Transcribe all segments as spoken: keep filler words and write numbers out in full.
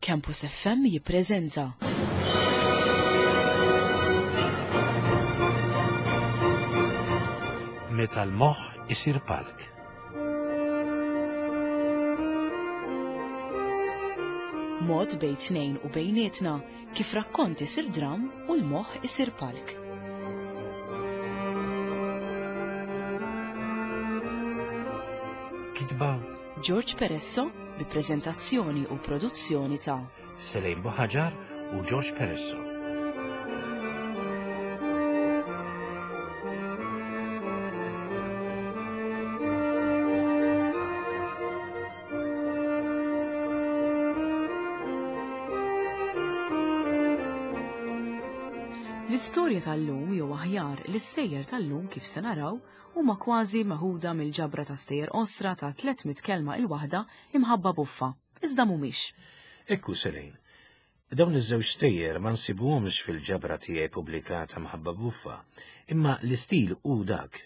Campus F M jippreżenta Meta l-moħħ isir palk. Mod bejn tnejn u bejnietna kif rakkont isir dram u l-moħħ isir palk. Kitba George Peresso bi preżentazzjoni u produzzjoni ta' Selejn Buħaġar u George Peresso. L-istorja tal-lum jew aħjar l-istejjer tal-lum kif se naraw huma kważi meħuda mill-ġabra ta' stejjer qosra ta' tliet mitt kelma il-waħda imħabba buffa, iżda mhumiex. Ekku Selejn, dawn iż-żewġ stejjer ma nsibuhomx fil-ġabra tiegħi pubblikata mħabba buffa, imma l-istil hu dak.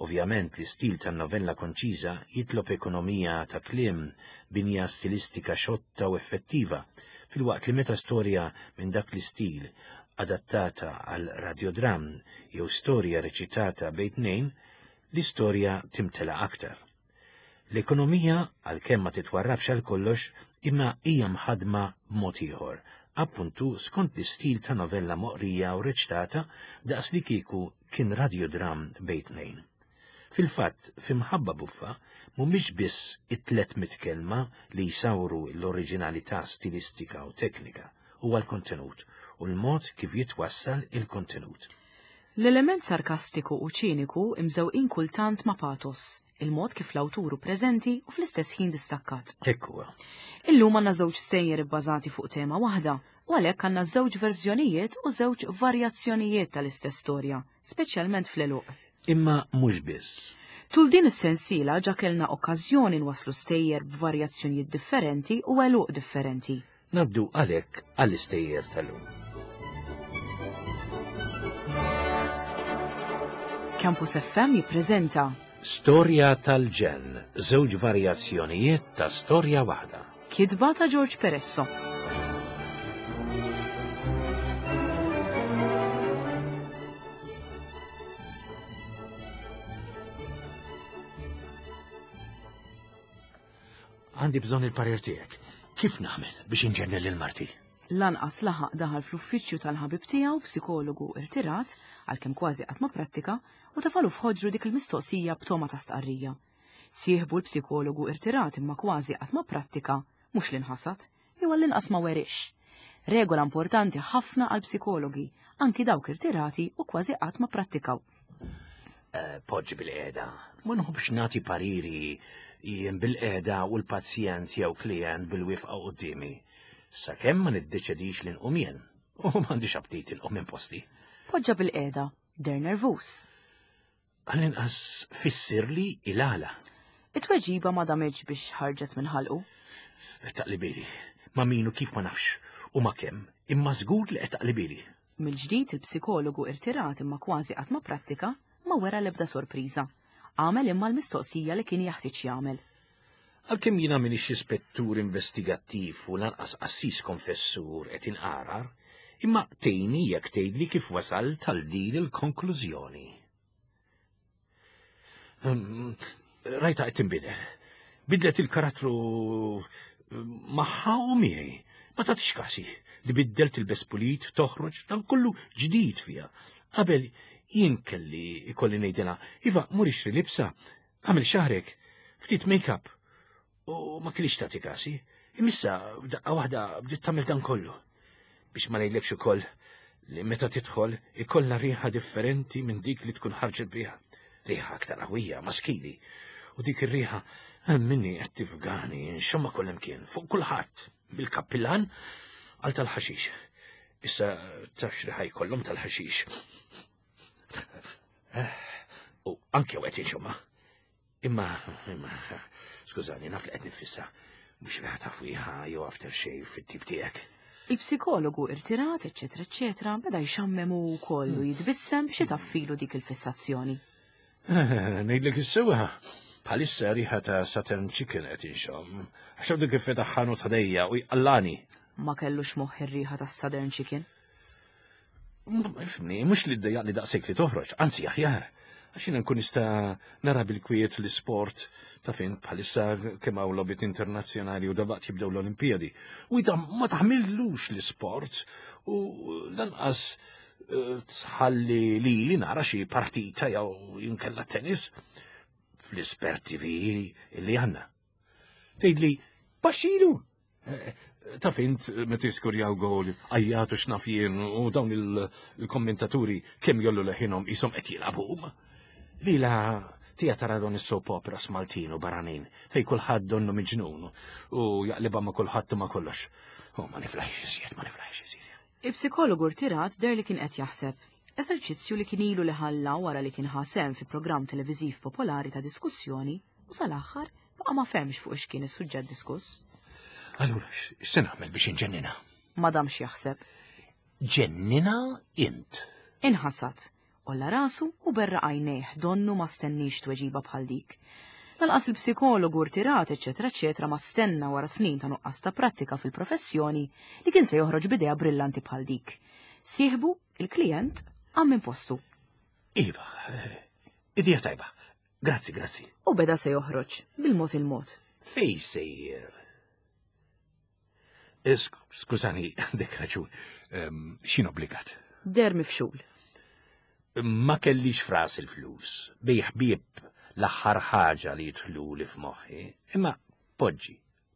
Ovvjament l-istil tan-novella konċiża jitlob ekonomija ta' kliem, binja stilistika xotta u effettiva, filwaqt li meta storja minn dak l-istil adattata għal radiodram jew storja reċitata bejn tnejn, l-istorja timtela aktar. L-ekonomija, għalkemm ma titwarrabx għal kollox, imma hija mħadma b'mod ieħor, appuntu skont l-istil ta' novella moqrija u reċtata daqs li kieku kien radiodram bejn tnejn. Fil-fatt, f'imħabba buffa, mhumiex biss it-tliet mitt kelma li jsawru l-oriġinalità stilistika u teknika, huwa l-kontenut u l-mod kif jitwassal il-kontenut. L-element sarkastiku u ċiniku imżewqin kultant ma' patos, il-mod kif l-awturu preżenti u fl-istess ħin distakkat. Hekk huwa. Illum għandna żewġ stejjer ibbażati fuq tema waħda u għalhekk għandna żewġ verżjonijiet u żewġ varjazzjonijiet tal-istess storja, speċjalment fl-għeluq. Imma mhux biss. Tul din is-sensiela ġa kellna okkażjoni nwasslu stejjer b'varjazzjonijiet differenti u għeluq differenti. Naddu għalhekk għall-istejjer tal-lum. Campus F M jippreżenta Storja tal-ġenn, żewġ varjazzjonijiet ta' storja waħda. Kitba ta' George Peresso. Għandi bżonn il-parir tiegħek. Kif nagħmel biex inġennel lil marti? Lanqas laħaq daħal fl-uffiċċju tal-ħabib tiegħu psikologu irtirat, għalkemm kważi qatt ma prattika, u tafalu f'ħoġru dik il-mistoqsija b'toma ta' stqarrija. Sieħbu l-psikologu irtirat imma kważi qatt ma prattika, mhux li nħasad, jew għall-inqas ma werix. Regola importanti ħafna għal psikologi, anki dawk irtirati u kważi qatt ma prattikaw. Eh, poġġi bil-qiegħda, ma nħobbx nagħti pariri jien bil-qiegħda u l-pazjent jew klient bil-wifqa quddiemi. Sakemm ma niddeċidix li nqum jien, u m'għandix aptit inqum minn posti. Poġġa bil-qiegħda, der nervus. Għall-inqas fissirli il-għala. It-tweġiba ma damitx biex ħarġet minn ħalqu. Taqlibili, ma minu kif ma nafx, u ma kemm, imma żgur li qed taqlibili. Mill-ġdid il-psikologu irtirat imma kważi qatt ma prattika ma wera l-ebda sorpriża. Għamel imma l-mistoqsija li kien jaħtieġ jagħmel. Għalkemm jiena m'iniex ispettur investigattiv u lanqas qassis konfessur qed inqarar, imma tgħinni jekk tgħidli kif wasalt għal din il-konklużjoni. Ehm, rajta qed tinbidel. Bidlet il-karattru magħha u miegħi. Ma tagħtix kasi. Tbiddel tilbes pulit, toħroġ, dan kollu ġdid fiha. Qabel jien kelli ikolli ngħidilha, iva, mur ixtri libsa, għamel xahrek, ftit make-up. U ma kellix tagħti kasi. Imissa f'daqqa waħda bdiet tagħmel dan kollu. Biex ma ngħidlekx ukoll li meta tidħol ikollha riħa differenti minn dik li tkun ħarġet biha. Riħa aktar qawwija, maskili. U dik ir-riħa minni qed tifgani, nxomma kull imkien, fuq kulħadd, bil-kappillan għal tal-ħaxix. Issa taf x'riħa jkollhom tal-ħaxix. U anke qed inxomma. Imma, imma, skużani, naf li qed nifissa, mhux riħa ta' fwieħa jew aftershave fit-tip tiegħek. Il-psikologu irtirat, eċċetera, eċċetera, beda jxammem u wkoll u jitbissem biex itaffilu dik il-fissazzjoni. Ngħidlek is-sewwa, bħalissa riħa ta' Saturn Chicken qed inxomm. Għax għadu kif fetaħ ħanut ħdejja u jqallani. Ma kellux moħħ ir-riħa tas-Southern Chicken. Ifhimni, mhux li ddejjaqni daqshekk li toħroġ, anzi aħjar. Għax jiena nkun nista' nara bil-kwiet l-isport ta' fejn bħalissa kemm hawn logħbiet internazzjonali u dalwaqt jibdew l-Olimpijadi. U ida ma taħmillux l-isport u lanqas eh, tħalli li li nara xi partita jew jinkella tennis fl-ispert T V li għandna. Tgħidli, baxxilu! Eh, Taf int meta jiskurjaw gol, għajjatu x'naf jien u dawn il-kommentaturi kemm jgħollu leħinhom qishom qed jilagħbu huma. Lila tija tara dawn is-soap operas Maltin u barranin fej kulħadd donnu miġnun u jaqlibha ma' kulħadd u ma' kollox. U ma niflaħx iżjed, ma niflaħx iżjed. Il-psikologu rtirat deher li kien qed jaħseb. Eżerċizzju li kien ilu li ħalla wara li kien ħa sehem fi programm televiżiv popolari ta' diskussjoni u sal-aħħar baqa' ma fehmx fuq x'kien is-suġġett diskuss. Allura, x'se nagħmel biex inġennina? Ma damx jaħseb. Ġennina int. Inħasad, għolla rasu u berraq għajnejh donnu ma stennix tweġiba bħal dik. Lanqas il-psikologu rtirat, eċetera, eċetera, ma stenna wara snin ta' nuqqas ta' prattika fil-professjoni li kien se joħroġ b'idea brillanti bħal dik. Sieħbu, il-klient, qam minn postu. Iva, eh, idea tajba. Grazzi, grazzi. U beda se joħroġ, bil-mod il-mod. Fej sejjer? Eh, Skużani, għandek raġun. Em, Xin obbligat? Deher mifxul. Ma kellix f'rasi il-flus. Bejgħ ħbieb l-aħħar ħaġa li jidħlu li f'moħħi, imma poġġi,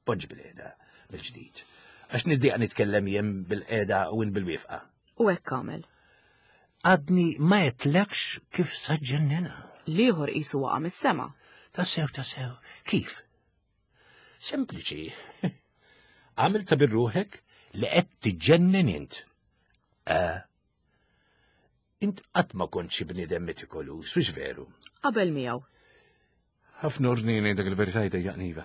poġġi bilqiegħda mill-ġdid. Għax niddejjaq nitkellem jien bilqiegħda u int bilwieqfa. U hekk għamel. Għadni ma għedtlekx kif sa ġġenninha. L-ieħor qisu waqa' mis-sema. Tassew, tassew, kif? Sempliċi. Għamil ta' birruħek li qed tiġġennen int. Eh, int qatt ma kont xi bniedem metikoluż, hux veru? Qabel miegħu. Ħafna ordni ngħidlek il-verità jdejjaqni iva.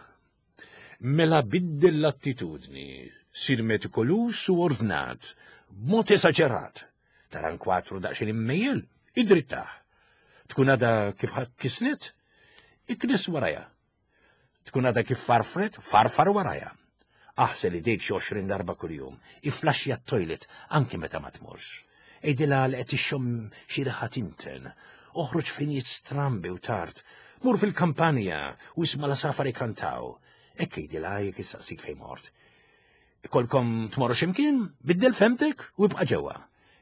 Mela biddel l-attitudni, sir metikoluż u ordnat, b'mod esaġerat. Tara nkwatru daqsxejn immejjel, idrittah. Tkun għadha kif kisnet, iknis warajha. Tkun għadha kif farfret, farfar warajha. Aħsel idejk xi għoxrin darba kuljum, iflaxxja t-toilet anke meta ma tmurx. Għidilha li qed ixxomm xi riħa tinten, oħroġ f'ħinijiet strambi u tard, mur fil-kampanja u isma' l-għasafar ikantaw. Hekk għidilha jekk issaqsik fejn mort. Ikolkom tmorru x'imkien, biddel fehmtek u ibqa' ġewwa.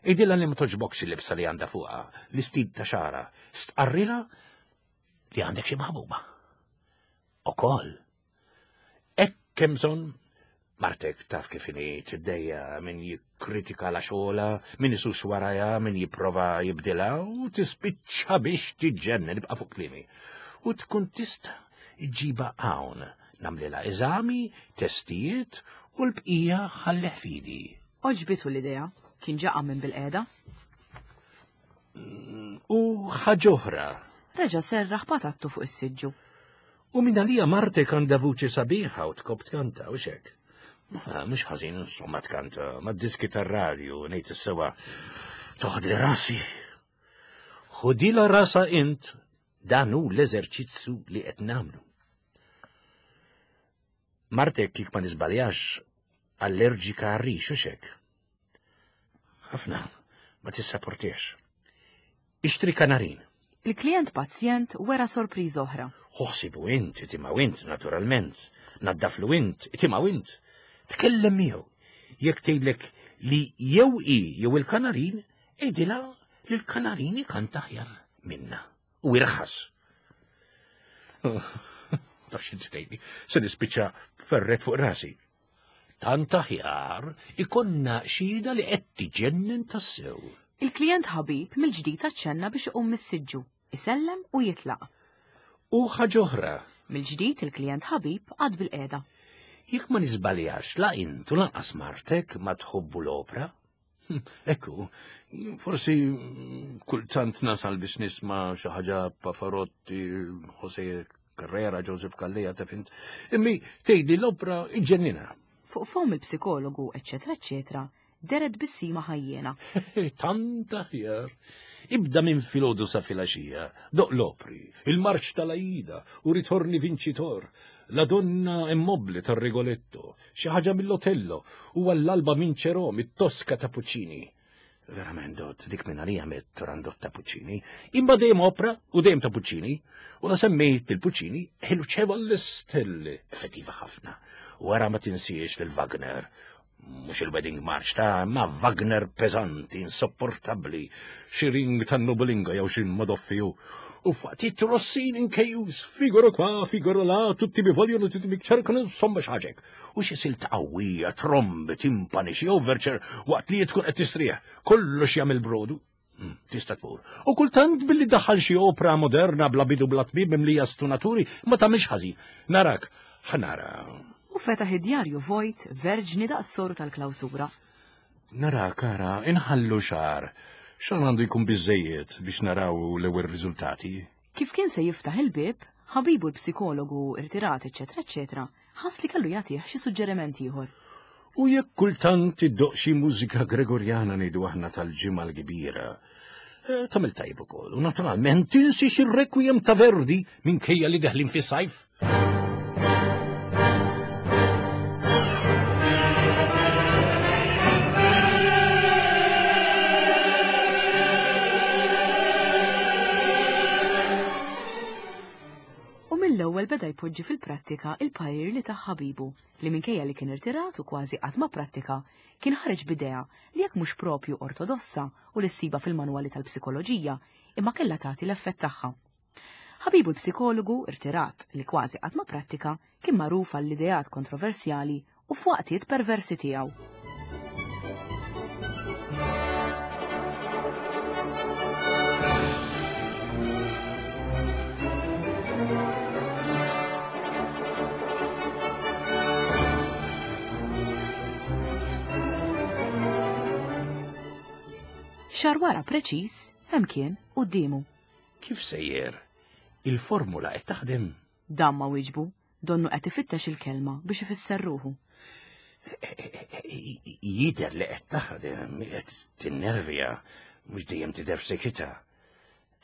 Għidilha li ma togħġbokx il-libsa li għandha fuqha, l-istil ta' xagħarha, stqarrilha li għandek xi maħbuba. Ukoll. Hekk hemm bżonn martek taf kif inhi tiddejjaq min jikkritika la xogħla, min isus warajha, min jipprova jibdilha u tispiċċa biex tiġġennen, ibqa' fuq kliemi. U tkun tista' ġġibha hawn, nagħmlilha eżami, testijiet u l-bqija ħallih f'idi. Għoġbitu l-idea, kien ġa qam minn bilqiegħda. U ħaġ'oħra. Reġa' serraħ patattu fuq is-siġġu. U minn għalija martek għandha vuċi sabiħa u tħobb tkanta u xek. Mhux ħażin insomma tkanta, ma diski tar-radju ngħid is-sewwa toħodli rasi. Ħudilha rasha int, dan hu l-eżerċizzju li qed nagħmlu. Martek kik ma niżbaljax allerġika għar-rix u xek. Ħafna, ma tissaportiex. Ixtri kanarin. Il-klient pazjent wera sorpriża oħra. Ħu ħsiebu int, itimgħu int, naturalment. Naddaflu int, itimgħu int. Tkellem miegħu. Jekk tgħidlek li jew i jew il-kanarin, għidilha li l-kanarin ikanta aħjar minna. U irħas. Taf x'int tgħidli, se nispiċċa ferret fuq rasi. Tant aħjar ikollna xhieda li qed tiġġennen tassew. Il-klient ħabib mill-ġdid aċċenna biex iqum mis-siġġu, isellem u jitlaq. U ħaġ'oħra. Mill-ġdid il-klient ħabib qagħad bilqiegħda. Jekk ma niżbaljax la int u lanqas martek ma tħobbu l-opra. Hm, ekku, forsi kultant nasal biex nisma' xi ħaġa Pavarotti, Jose Carrera, Joseph Calleja, taf int. Imma tgħidli l-opra iġġennina. Fuq fomm il-psikologu, eċetera, eċetera, deret bissima ħajjena. Tant aħjar. Ibda minn filgħodu sa filgħaxija, doq l-opri, il-marċ tal-Aida u ritorni vincitor, la donna immobile tar-Rigoletto, xi ħaġa mill-Otello u għall-alba vincerò mit-Tosca ta' Puccini. Verament, Dot, dik minn għalija mit-Turandot ta' Puccini. Imma dejjem opra u dejjem ta' Puccini. U la semmejt il-Puccini, ħelu l-istelli. Effettiva ħafna. Wara ma tinsiex lil Wagner. Mhux il-Wedding March ta' ma Wagner peżanti, insopportabbli, xi ring tan-Nobulinga jew xi Madoffiju. U faqtit Rossini inkejus, figuro qua, figuro là, tutti mi vogliono, tutti mi cercano, insomma xaġek. U xi silta qawwija, trombi, timpani, xi overture, waqt li tkun qed tistrieħ, kollox jagħmel brodu. Tista' tmur. U kultant billi daħħal xi opra moderna bla bidu bla tbib mimlija stunaturi, ma tagħmilx ħażin. Narak, ħanara. U fetaħ id-djarju vojt verġni daqs soru tal-klawsura. Narak, ara, inħallu xahar. Xan għandu jkun biżejjed biex naraw l-ewwel riżultati. Kif kien se jiftaħ il-bieb, ħabibu l-psikologu irtirat, eċetera, eċetera, ħass li kellu jagħtih xi suġġeriment ieħor. U jekk kultant iddoq xi mużika Gregorjana ngħidu aħna tal-ġimgħa l-kbira, tagħmel tajb ukoll. U naturalment tinsiex ir-requiem ta' Verdi minkejja li deħlin fis-sajf. Mill-ewwel beda jpoġġi fil-prattika il-parir li ta' ħabibu li minkejja li kien irtirat u kważi qatt ma prattika kien ħareġ b'idea li jekk mhux propju ortodossa u li ssiba fil-manwali tal-psikoloġija imma kellha tagħti l-effett tagħha. Ħabibu l-psikologu irtirat li kważi qatt ma prattika kien magħruf għall-ideat kontroversjali u f'waqtiet perversi tiegħu. Xahar wara preċiż, hemm kien quddiemu. Kif sejjer? Il-formula qed taħdem? Dan ma wieġbu, donnu qed ifittex il-kelma biex ifisser ruħu. Jidher li qed taħdem, qed tinnervja, mhux dejjem tidher f'sekita.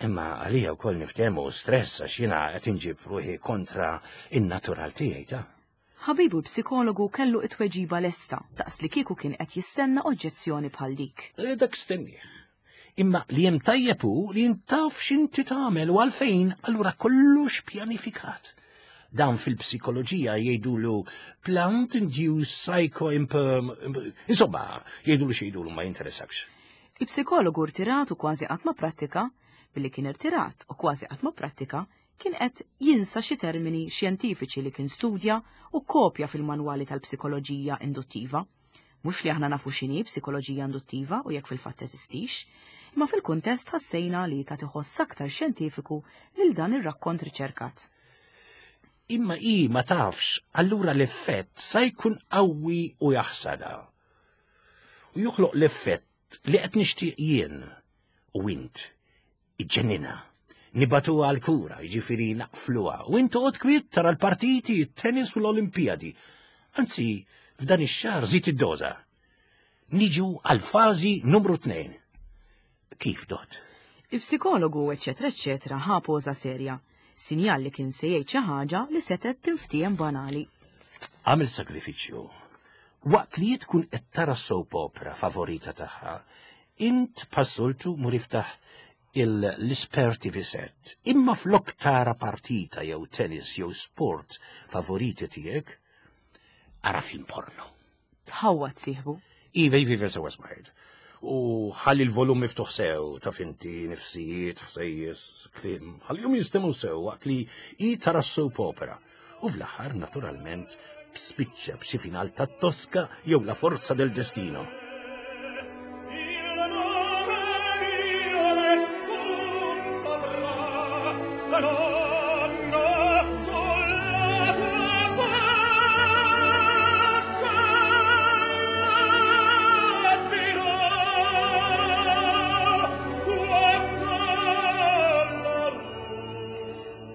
Imma għalija wkoll niftehmu stress għax jiena qed inġib ruħi kontra in-natural tiegħi ta'. Ħabibu l-psikologu kellu it-tweġiba lesta, daqs li kieku kien qed jistenna oġġezzjoni bħal dik. Dak stennieh. Imma li hemm tajjeb hu li intaf x'inti tagħmel u għalfejn, allura kollox pjanifikat. Dan fil-psikoloġija jgħidulu plant induced psycho imperm... Insomma, jgħidulu x'jgħidulu ma jinteressakx. Il-psikologu rtirat u kważi qatt ma prattika, billi kien irtirat u kważi qatt ma prattika, kien qed jinsa xi termini xjentifiċi li kien studja u kopja fil-manwali tal-psikoloġija induttiva. Mhux li aħna nafu x'inhi psikoloġija induttiva u jekk fil-fatt teżistix, imma fil-kuntest ħassejna li ta' tiħoss aktar xjentifiku lil dan ir-rakkont riċerkat. Imma i ma tafx, allura l-effett sa jkun qawwi u jaħsada. U joħloq l-effett li qed nixtieq jien u int iġġennina. Nibatu għal-kura, jiġifieri naqfluha, u int toqgħod kwiet tara l-partiti, it-tennis u l-Olimpijadi. Anzi, f'dan ix-xahar żid id-doża. Niġu għal-fażi numru tnejn. Kif, Dot? Il-psikologu, eċetera, eċetera, ħa poża serja, sinjal li kien se jgħid xi ħaġa li setgħet tinftiehem banali. Għamel sakrifiċċju. Waqt li tkun qed tara soap opera favorita tagħha, int passoltu mur iftaħ l-esperti viset. Imma flok tara partita jew tennis jew sport favoriti tiegħek, ara film porno. Tħawwad sieħbu. Iva, iva, iva, sewa smajt. U ħalli l-volum miftuħ sew, taf inti, nifsijiet, ħsejjes, kliem, ħallihom jistemu sew waqt li i tara soap opera. U fl-aħħar, naturalment, spiċċa b'xi final ta' Tosca jew la forza del destino.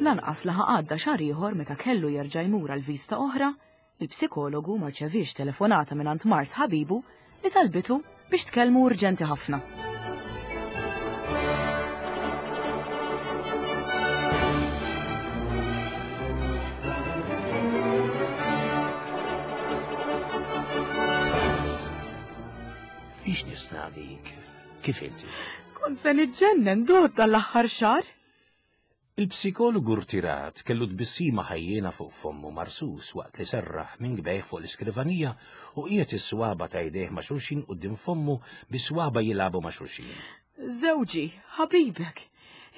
Lanqas laħa għadda xahar ieħor meta kellu jerġa' jmur għal vista oħra, il-psikologu ma rċeviex telefonata mingħand mart ħabibu li talbitu biex tkellmu urġenti ħafna. Biex nisnadik, kif inti? Kont se niġġennen Dot dal-aħħar xahar. Il-psikologu rtirat kellu tbissima ħajjena fuq fommu marsus waqt li serraħ minn kbejh fuq l-iskrivanija u qiegħed is-swaba ta' jdejh ma' xulxin quddiem fommu bi swaba jilagħbu ma' xulxin. Żewġi, ħabibek,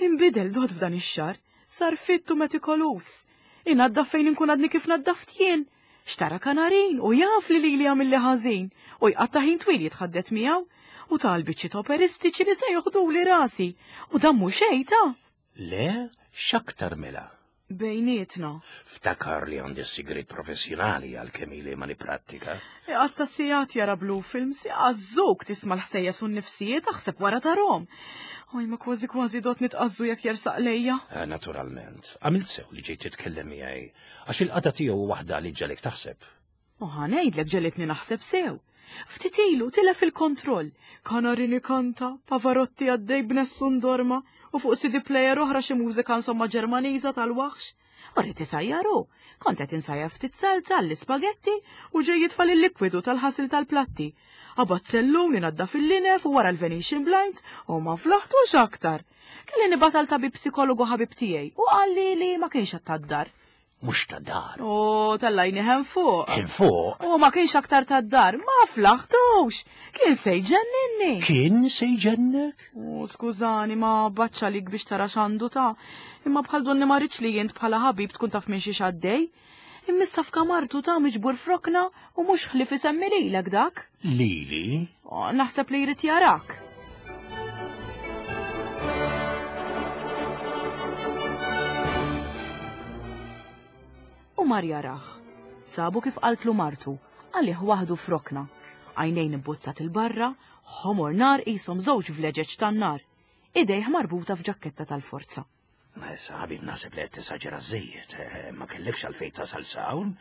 inbidel Dot f'dan ix-xahar, sar fittu metikolus. Inaddaf fejn inkun għadni kif naddaft jien. Xtara kanarin u jaf li lili għamilli ħażin u jqatta' ħin twil jitħaddet miegħu u tal biċċiet operistiċi li se joħduli rasi u dan mhu xejn ta'. Le, x'aktar mela? Bejnietna. Ftakar li għandi s-sigrit professjonali għal kemm ili ma nipprattika. Iqatta' sigħat jara blue films, iqażżuk tisma' l-ħsejjes u n-nifsijiet aħseb wara tarhom. Oj, ma kważi kważi Dot nitqażżu jekk jersaq lejja. Eh, naturalment, għamilt sew li ġejt titkellem miegħi, għax il-qata tiegħu waħda li ġalek taħseb. U ħa ngħidlek ġelitni naħseb sew. Ftit ilu tilef il-kontroll. Kanarin ikanta, Pavarotti għaddej b'Nessun Dorma u fuq C D player oħra xi mużika insomma Ġermaniża tal-waħx. U rrid isajjaru. Kont qed insajjar ftit salza għall-ispagetti u ġej jitfal il-likwidu tal-ħasil tal-platti. Qabad sellun inaddaf il-linef u wara l-Venetian blind u ma flaħtux aktar. Kelli nibgħat għal tabib psikologu ħabib tiegħi u qalli li ma kienx qed tad-dar. Mhux ta' dar. U tellajni hemm fuq. Hemm fuq? U ma kienx aktar tad-dar, ma flaħtux. Kien se jġenninni. Kien se jġennek? U skużani, ma baċċa lik biex tara x'għandu ta'. Imma bħal donni ma rridx li jint bħala ħabib tkun taf minn xi x'għaddej. Immissa f'kamartu ta' miġbur frokna u mhux ħlief isemmi lilek dak. Lili? O, naħseb li jrid jarak. U mar jarah. Sabu kif qaltlu martu, għalih waħdu frokna. Għajnejn imbuzzat il-barra, ħomor nar qishom żewġ vleġeġ tan-nar. Idejh marbuta f'ġakketta tal-forza. Ma issa ħabib naħseb li qed tisaġera żejjed, eh, ma kellekx għalfejn tasal s'hawn.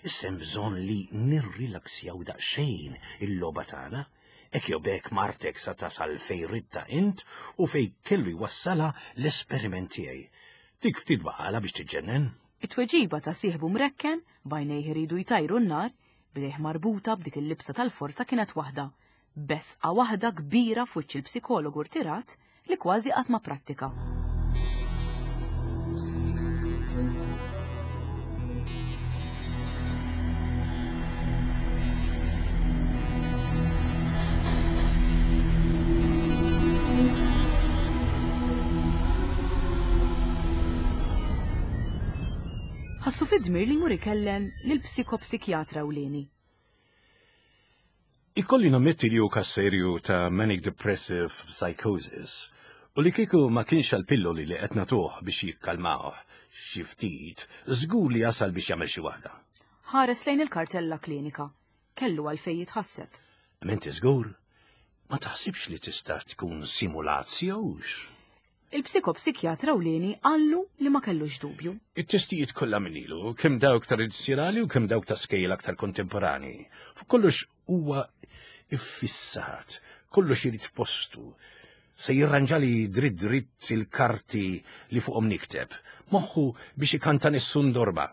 Issa hemm bżonn li nirrilaksjaw daqsxejn il-logħba tagħna. Hekk jew b'hekk martek sa tasal fejn ridta int u fejn kellu jwassalha l-esperiment tiegħi. Dik ftit baqala biex tiġġennen. It-tweġiba ta' sieħbu mrekken, b'għajnejh iridu jtajru n-nar, b'idejh marbuta b'dik il-libsa tal-forza kienet waħda. Besqa waħda kbira f'wiċċ il-psikologu rtirat li kważi qatt ma prattika. Ħassu fid-dmir li jmur ikellem lill-psikopsikjatra ewlieni. Ikolli nammetti li hu każ serju ta' manic depressive psychosis u li kieku ma kienx għall-pilloli li qed nagħtuh biex jikkalmawh xi ftit, żgur li jasal biex jagħmel xi waħda. Ħares lejn il-kartella klinika. Kellu għalfejn jitħasseb. Menti żgur, ma taħsibx li tista' tkun simulazzjowx? Il-psikopsikjatra ewlieni qallu li ma kellux dubju. It-testijiet kollha minn ilu, kemm dawk tradizzjonali u kemm dawk ta' skejjel aktar kontemporani. Fuq kollox huwa iffissat, kollox irid f'postu. Se jirranġali dritt dritt il-karti li fuqhom nikteb, moħħu biex ikanta Nessun Dorma.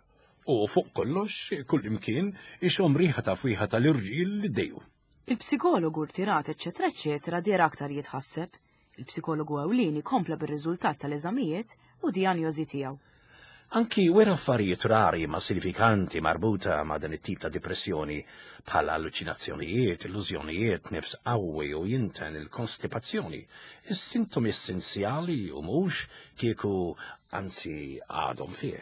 U fuq kollox, kull imkien, ixhom riħa ta' fwieħa tal-irġiel li dejju. Il-psikologu rtirat, eċċetera, eċċetera, deher aktar jitħasseb. Il-psikologu ewlieni kompla bir-riżultat tal-eżamijiet u dijanjosi tiegħu. Anki wera affarijiet rari ma sinifikanti marbuta ma' dan it-tip ta' depressjoni bħala alluċinazzjonijiet, illużjonijiet, nifs qawwi u jinten il-konstipazzjoni, is-sintomi essenzjali u mhux kieku anzi għadhom fih.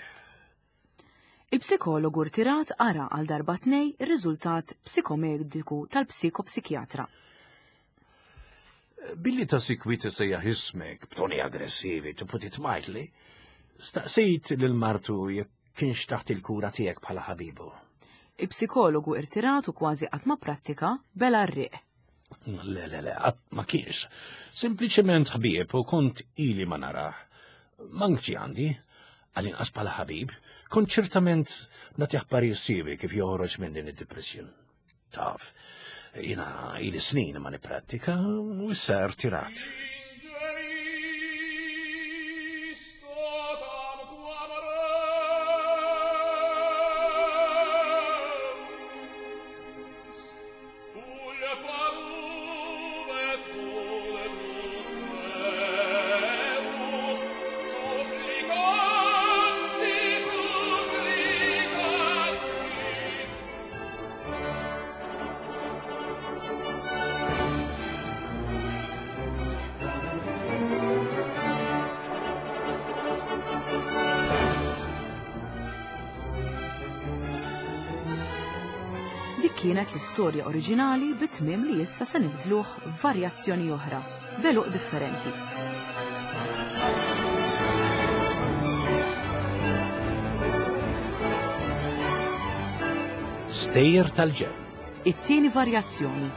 Il-psikologu rtirat qara għal darba tnej ir-riżultat psikomediku tal-psikopsikjatra. Billi ta' sikwit sejjaħ ismek b'toni aggressivi to put it mildly, staqsejt lil martu jekk kienx taħt il-kura tiegħek bħala ħabibu. Il-psikologu irtirat u kważi qatt ma prattika bela r-riq. Le, le, le, qatt ma kienx. Sempliċement ħbieb u kont ili ma narah. Manki għandi, għal-inqas bħala ħabib, kont ċertament nagħtih parir siewi kif joħroġ minn din id-depression. Taf, Jiena ili snin ma nipprattika u issa rtirat. Dik kienet l-istorja oriġinali bit-tmiem li issa se nibdluh f'varjazzjoni oħra, b'għeluq differenti. Stejjer tal-ġenn. It-tieni varjazzjoni.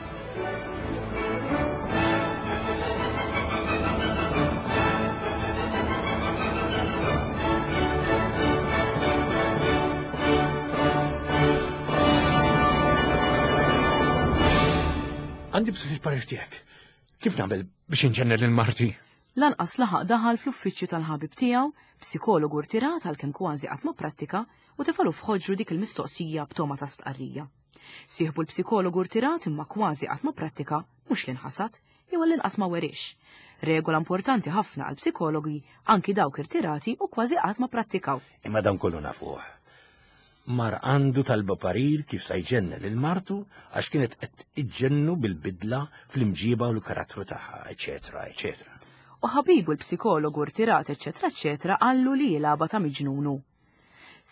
Għandi bżonn il-parir tiegħek. Kif nagħmel biex inġenner lil marti? Lanqas laħaq daħal fl-uffiċċju tal-ħabib tiegħu, psikologu rtirat għalkemm kważi qatt ma prattika, u tefalu f'ħoġru dik il-mistoqsija b'toma ta' stqarrija. Sieħbu l-psikologu rtirat imma kważi qatt ma prattika, mhux li nħasad, jew għall-inqas ma werix. Regola importanti ħafna għal psikologi anki dawk irtirati u kważi qatt ma prattikaw. Imma dan kollu nafuh. Mar għandu talba parir kif sa jġenna lil martu għax kienet qed iġġennu bil-bidla fl-imġiba u l-karattru tagħha, eċetera, eċetera. U ħabibu l-psikologu rtirat, eċetera, eċetera, qallu li jilgħabha ta' miġnunu.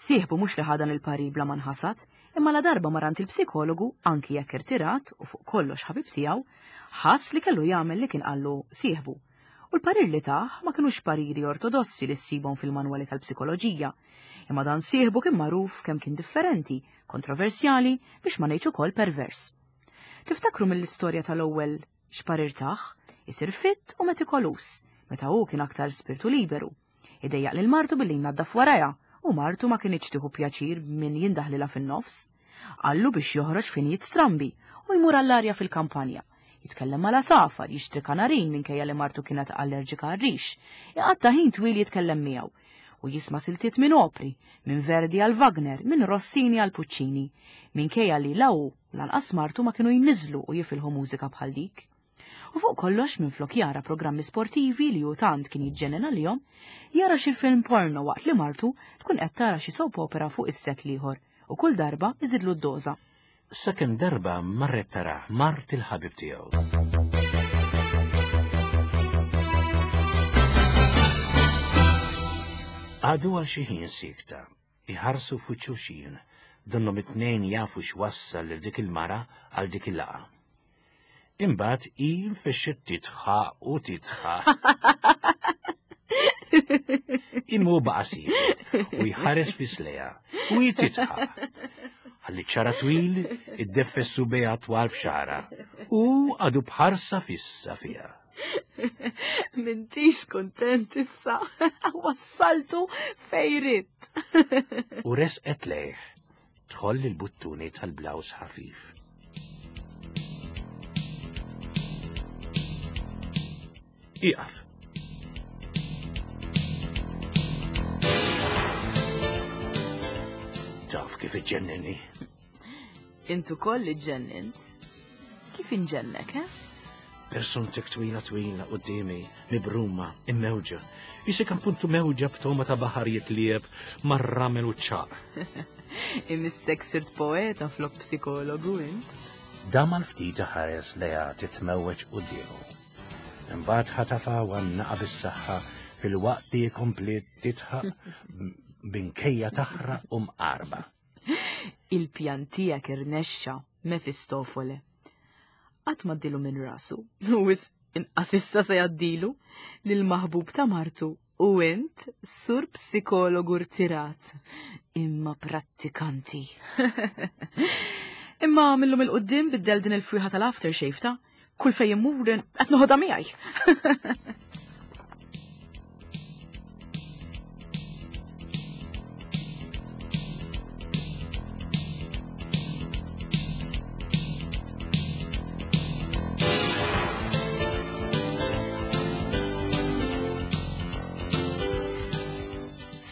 Sieħbu mhux li ħadan il-parir bla ma nħasad, imma la darba marant il-psikologu, anki jekk irtirat u fuq kollox ħabib tiegħu, ħass li kellu jagħmel li kien qallu sieħbu. U l-parir li tah ma kinux pariri ortodossi li ssibhom fil-manwali tal-psikoloġija, imma dan sieħbu kien magħruf kemm kien differenti, kontroversjali, biex ma ngħidx ukoll pervers. Tiftakru mill-istorja tal-ewwel x'parir tah, isir fitt u metikolus, meta hu kien aktar spirtu liberu. Idejjaq lil martu billi jnaddaf warajha, u martu ma kinitx tieħu pjaċir min jindaħlilha fin-nofs. Qallu biex joħroġ fejn jitstrambi u jmur għall-arja fil-kampanja. Jitkellem mal-għasafar, jixtri kanarin minkejja li martu kienet allerġika għar-rix, iqatta' ħin twil jitkellem miegħu u jisma' siltiet minn opri, minn Verdi għal Wagner, minn Rossini għal Puccini, minkejja li la hu lanqas martu ma kienu jniżlu u jifilħu mużika bħal dik. U fuq kollox minflok jara programmi sportivi li hu tant kien jiġġenena għalihom, jara xi film porno waqt li martu tkun qed tara xi soap opera fuq is-set l-ieħor u kull darba iżidlu d-doża. Sakemm darba marret tara mart il-ħabib tiegħu. Għadu għal xi ħin sikta, iħarsu f'wiċċ donnhom it-tnejn jafu x'wassal lil dik il-mara għal dik il-laqgħa. Imbagħad hi nfexxet titħaq u titħaq. Imma hu baqa' sieket u jħares fi slejha u hi titħaq. Ħalli ċara twil iddeffes subejha twal f'xara u għadu bħarsa fissa fiha. M'intix kontent issa, wassaltu fejrit. U resqet lejh, tħoll il-buttuni tal-blaws ħafif. Iqaf. Taf kif iġġennini. Intu koll iġġennint. Kif inġennek, eh? Persuntek twila twila quddiemi, mibruma, immewġa. Isek appuntu mewġa b'toma ta' baħar jitlieb mar-ramel u ċ-ċaq. Imissek sirt poeta flok psikologu int. Dam għal ftit ħares leha titmewweġ quddiemu. Imbagħad ħatafa u għannaqa bis-saħħa fil-waqt li kompliet titħaq binkejja taħraq u mqarba. Il-pjan tiegħek irnexxa, Mefistofole. Qatt ma ddilu minn rasu, u wis inqas issa se jgħaddilu lil maħbub ta' martu u int sur psikologu rtirat, imma prattikanti. Imma millum il-qoddim biddel din il-fwiħa tal-aftershave ta' kull fejn immur qed noħodha miegħi.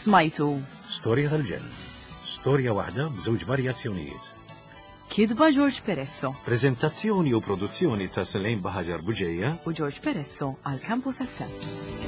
Smajtu. Storja tal-ġenn. Storja waħda b'żewġ varjazzjonijiet. Kitba George Peresso. Prezentazzjoni u produzzjoni ta' Selene Buhagiar Bugeja u George Peresso għal Campus F M.